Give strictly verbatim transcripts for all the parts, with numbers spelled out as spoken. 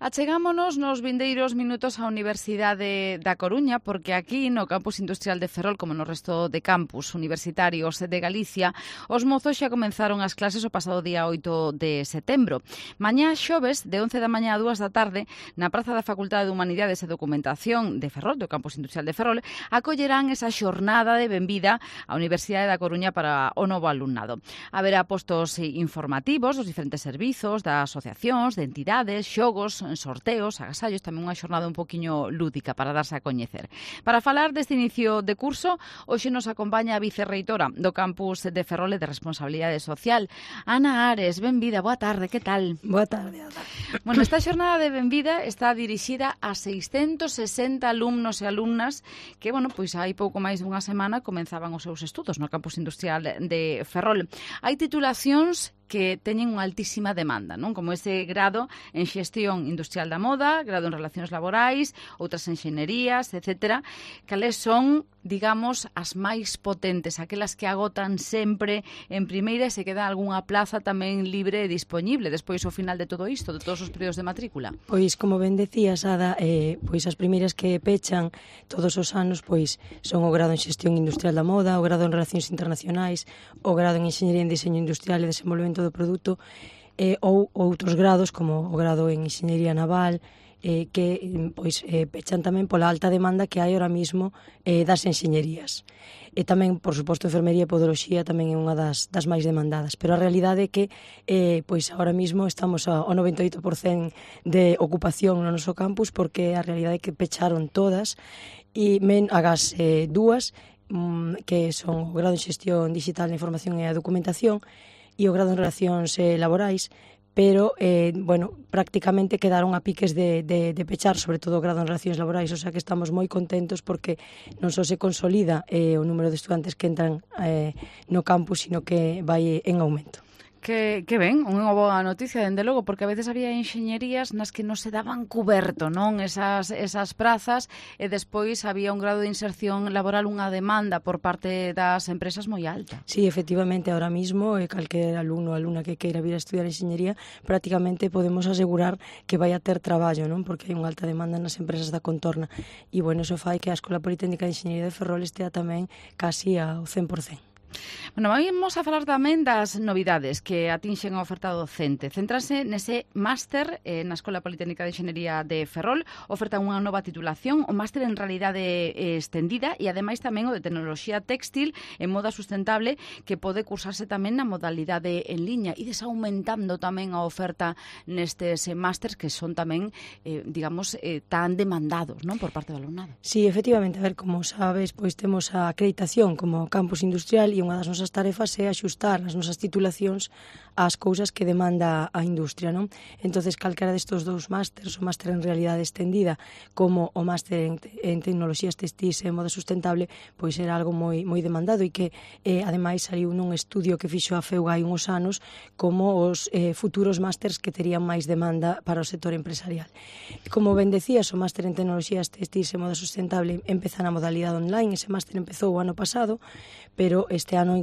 Achegámonos nos vindeiros minutos á Universidade da Coruña, porque aquí no Campus Industrial de Ferrol, como no resto de campus universitarios de Galicia, os mozos xa comenzaron as clases o pasado día oito de setembro. Mañá xoves, de once da mañá a dúas da tarde, na Praza da Facultade de Humanidades e Documentación de Ferrol, do Campus Industrial de Ferrol, acollerán esa xornada de benvida á Universidade da Coruña para o novo alumnado. Haberá postos informativos dos diferentes servizos, das asociacións, de entidades, xogos, sorteos, agasallos, tamén unha xornada un poquinho lúdica para darse a coñecer. Para falar deste inicio de curso, hoxe nos acompaña a vicerreitora do Campus de Ferrol e de Responsabilidade Social, Ana Ares. Benvida, boa tarde, que tal? Boa tarde, Ana. Bueno, esta xornada de benvida está dirixida a seiscentos sesenta alumnos e alumnas que, bueno, pois hai pouco máis dunha semana comenzaban os seus estudos no Campus Industrial de Ferrol. Hai titulacións que teñen unha altísima demanda, non? Como ese grado en xestión industrial da moda, grado en relacións laborais, outras enxeñerías, etcétera. Cales son, digamos, as máis potentes, aquelas que agotan sempre en primeira e se queda algunha plaza tamén libre e disponible despois ao final de todo isto, de todos os períodos de matrícula? Pois, como ben decías, Ada, eh, pois as primeiras que pechan todos os anos pois son o grado en xestión industrial da moda, o grado en relacións internacionais, o grado en enxeñería en diseño industrial e desenvolvemento do produto, eh, ou outros grados como o grado en enxeñería naval, eh, que pois eh, pechan tamén pola alta demanda que hai ahora mismo eh, das enxeñerías. E tamén, por suposto, enfermería e podoloxía tamén é unha das, das máis demandadas, pero a realidade é que eh, pois agora mismo estamos ao noventa e oito por cento de ocupación no noso campus, porque a realidade é que pecharon todas e men agas eh, dúas mm, que son o grado en xestión digital da información e a documentación e o grado en relacións eh, laborais, pero, eh, bueno, prácticamente quedaron a piques de, de, de pechar, sobre todo o grado en relacións laborais, o sea que estamos moi contentos porque non só se consolida eh, o número de estudantes que entran eh, no campus, sino que vai en aumento. Que, que ben, unha boa noticia, dende logo, porque a veces había enxeñerías nas que non se daban cuberto, non, esas, esas prazas, e despois había un grado de inserción laboral, unha demanda por parte das empresas moi alta. Sí, efectivamente, ahora mismo, eh, calquer alumno ou alumna que queira vir a estudiar enxeñería, prácticamente podemos asegurar que vai a ter traballo, non, porque hai unha alta demanda nas empresas da contorna. E, bueno, iso fai que a Escola Politécnica de Enxeñería de Ferrol estea tamén casi ao cen por cento. Bueno, vamos a falar tamén das novidades que atinxen a oferta docente. Céntrase nese máster eh, na Escola Politécnica de Enxeñería de Ferrol. Oferta unha nova titulación, o máster en realidade eh, extendida e ademais tamén o de tecnoloxía téxtil en moda sustentable, que pode cursarse tamén na modalidade en liña. E desaumentando tamén a oferta nestes eh, másters que son tamén, eh, digamos, eh, tan demandados, non, por parte do alumnado. Sí, efectivamente, a ver, como sabes, pois temos a acreditación como campus industrial e unha das nosas tarefas é axustar as nosas titulacións ás cousas que demanda a industria, non? Entonces, calquera destos dous másters, o máster en realidade extendida como o máster en, en tecnoloxías textis e moda sustentable, pois era algo moi moi demandado e que, eh, ademais, saliu nun estudio que fixo a FEUGA hai uns anos como os eh, futuros másters que terían máis demanda para o sector empresarial. Como ben decías, o máster en tecnoloxías textis e moda sustentable empeza na modalidade online. Ese máster empezou o ano pasado, pero este ano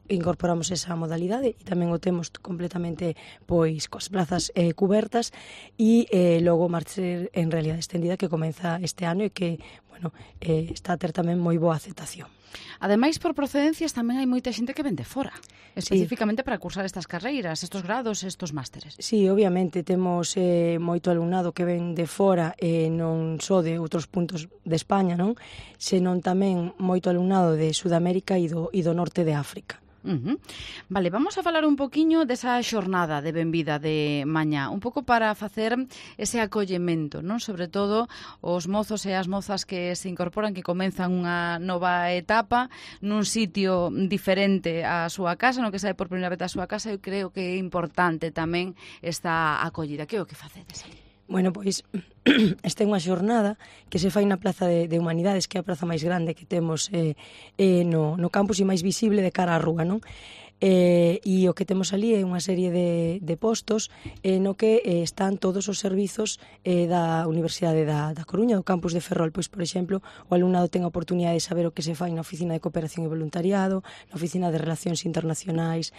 incorporamos esa modalidade e tamén o temos completamente pois coas plazas eh, cubertas e eh, logo o máster en realidade extendida que comeza este ano e que, bueno, eh, está a ter tamén moi boa aceptación. Ademais, por procedencias tamén hai moita xente que ven de fora, especificamente sí, para cursar estas carreiras, estos grados, estos másteres. Sí, obviamente, temos eh, moito alumnado que ven de fora, eh, non só de outros puntos de España, non? Senón tamén moito alumnado de Sudamérica e do, e do norte de África. Uh-huh. Vale, vamos a falar un poquiño desa xornada de benvida de mañá, un pouco para facer ese acollemento, non? Sobre todo os mozos e as mozas que se incorporan, que comenzan unha nova etapa nun sitio diferente á súa casa, no que sae por primeira vez a súa casa. Eu creo que é importante tamén esta acollida. Que é o que facedes ali? Bueno, pois esta é unha xornada que se fai na Praza de, de Humanidades, que é a praza máis grande que temos eh, eh, no, no campus e máis visible de cara á rúa, non? Eh, e o que temos ali é unha serie de, de postos eh, no que eh, están todos os servizos eh, da Universidade da, da Coruña, do campus de Ferrol. Pois, por exemplo, o alumnado ten a oportunidade de saber o que se fai na Oficina de Cooperación e Voluntariado, na Oficina de Relacións Internacionais,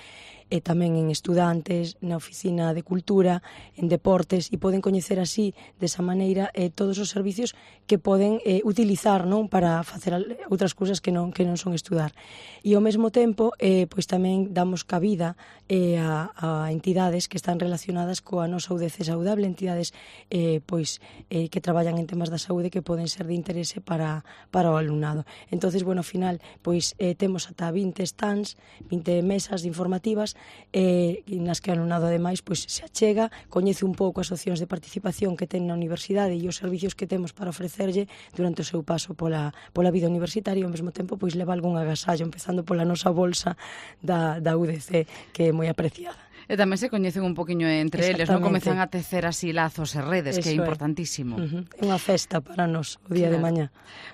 e tamén en estudantes, na oficina de cultura, en deportes, e poden coñecer así, desa maneira, eh, todos os servicios que poden eh, utilizar, non, para facer outras cousas que non, que non son estudar. E ao mesmo tempo, eh, pois tamén damos cabida eh, a, a entidades que están relacionadas coa nosa U D C saudable, entidades eh, pois eh, que traballan en temas da saúde que poden ser de interese para, para o alumnado. Entonces, bueno, ao final, pois eh, temos ata vinte stands, vinte mesas informativas eh, nas que o alumnado ademais pois se achega, coñece un pouco as opcións de participación que ten na universidade e os servicios que temos para ofrecerlle durante o seu paso pola, pola vida universitaria e ao mesmo tempo pois leva algún agasallo, empezando pola nosa bolsa da, da U D C, que é moi apreciada. E tamén se coñecen un poquinho entre eles, non? Comezan a tecer así lazos e redes, Eso que é é importantísimo. Uh-huh. É unha festa para nos o día claro. de mañá.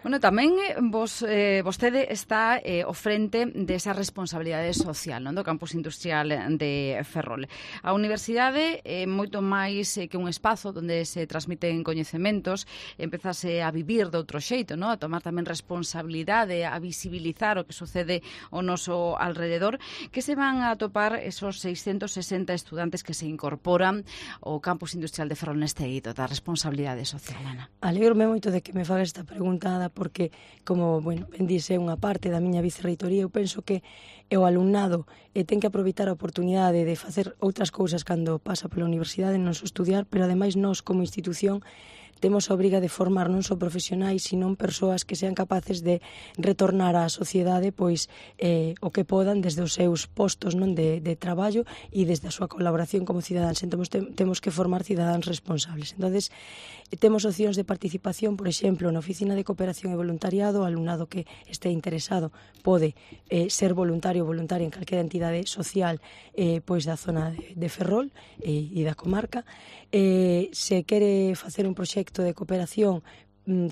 Bueno, tamén vos, eh, vostede está eh, ao frente desa responsabilidade social, non? Do campus industrial de Ferrol. A universidade é moito máis eh, que un espazo onde se transmiten coñecementos, empezase a vivir de outro xeito, non? A tomar tamén responsabilidade, a visibilizar o que sucede ao noso alrededor, que se van a topar esos seiscentos sesenta estudantes que se incorporan ao campus industrial de Ferrol neste hito da responsabilidade social, Ana. Alegrome moito de que me faga esta preguntada porque, como, bueno, ben dice, unha parte da miña vicerreitoría, eu penso que o alumnado eh, ten que aproveitar a oportunidade de facer outras cousas cando pasa pola universidade, non só estudiar, pero ademais nós como institución temos a obriga de formar non só profesionais, sino persoas que sean capaces de retornar á sociedade pois eh, o que podan desde os seus postos non de, de traballo e desde a súa colaboración como cidadáns. Entón, temos que formar cidadáns responsables. Entonces, temos opcións de participación, por exemplo, na Oficina de Cooperación e Voluntariado, o alumnado que este interesado pode eh, ser voluntario ou voluntaria en calquera entidade social eh, pois da zona de, de Ferrol eh, e da comarca. Eh, se quere facer un proxecto de cooperación,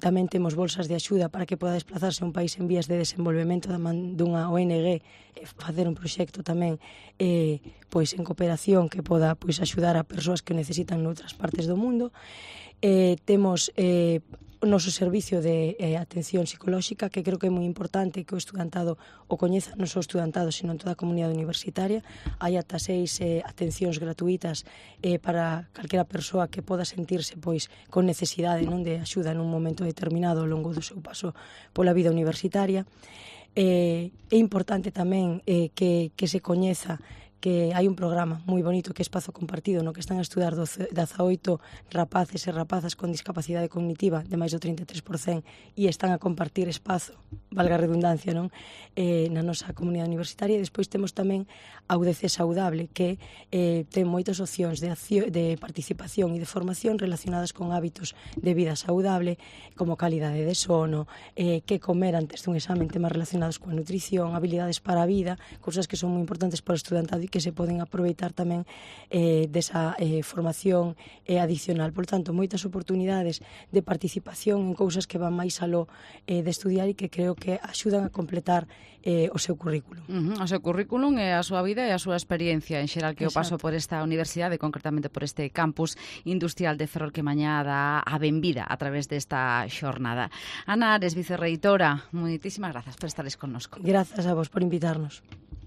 tamén temos bolsas de axuda para que poda desplazarse a un país en vías de desenvolvemento da man dunha O N G e facer un proxecto tamén eh, pois en cooperación que poda pois axudar a persoas que necesitan noutras partes do mundo. Eh, temos eh, o noso servicio de eh, atención psicolóxica, que creo que é moi importante que o estudantado o coñeza, non só o estudantado, sino en toda a comunidade universitaria. Hai ata seis eh, atencións gratuitas eh, para calquera persoa que poda sentirse pois con necesidade non de axuda nun momento determinado ao longo do seu paso pola vida universitaria. Eh, é importante tamén eh, que, que se coñeza que hai un programa moi bonito que é Espazo Compartido, no que están a estudar dezaoito rapaces e rapazas con discapacidade cognitiva de máis do trinta e tres por cento e están a compartir espazo, valga a redundancia, non? Eh, na nosa comunidade universitaria. E despois temos tamén a U D C Saudable, que eh, ten moitas opcións de, acción, de participación e de formación relacionadas con hábitos de vida saudable, como calidade de sono, eh, que comer antes dun examen, temas relacionados coa nutrición, habilidades para a vida, cousas que son moi importantes para o estudantado e que se poden aproveitar tamén eh, desa eh, formación eh, adicional. Por tanto, moitas oportunidades de participación en cousas que van máis aló eh, de estudiar e que creo que axudan a completar eh, o seu currículum. Uh -huh. O seu currículum é a súa vida e a súa experiencia en xeral que o paso Exacto. por esta universidade, concretamente por este campus industrial de Ferrol que mañá dá a benvida a través desta xornada. Ana Ares, vicerreitora, moitísimas grazas por estares connosco. Grazas a vos por invitarnos.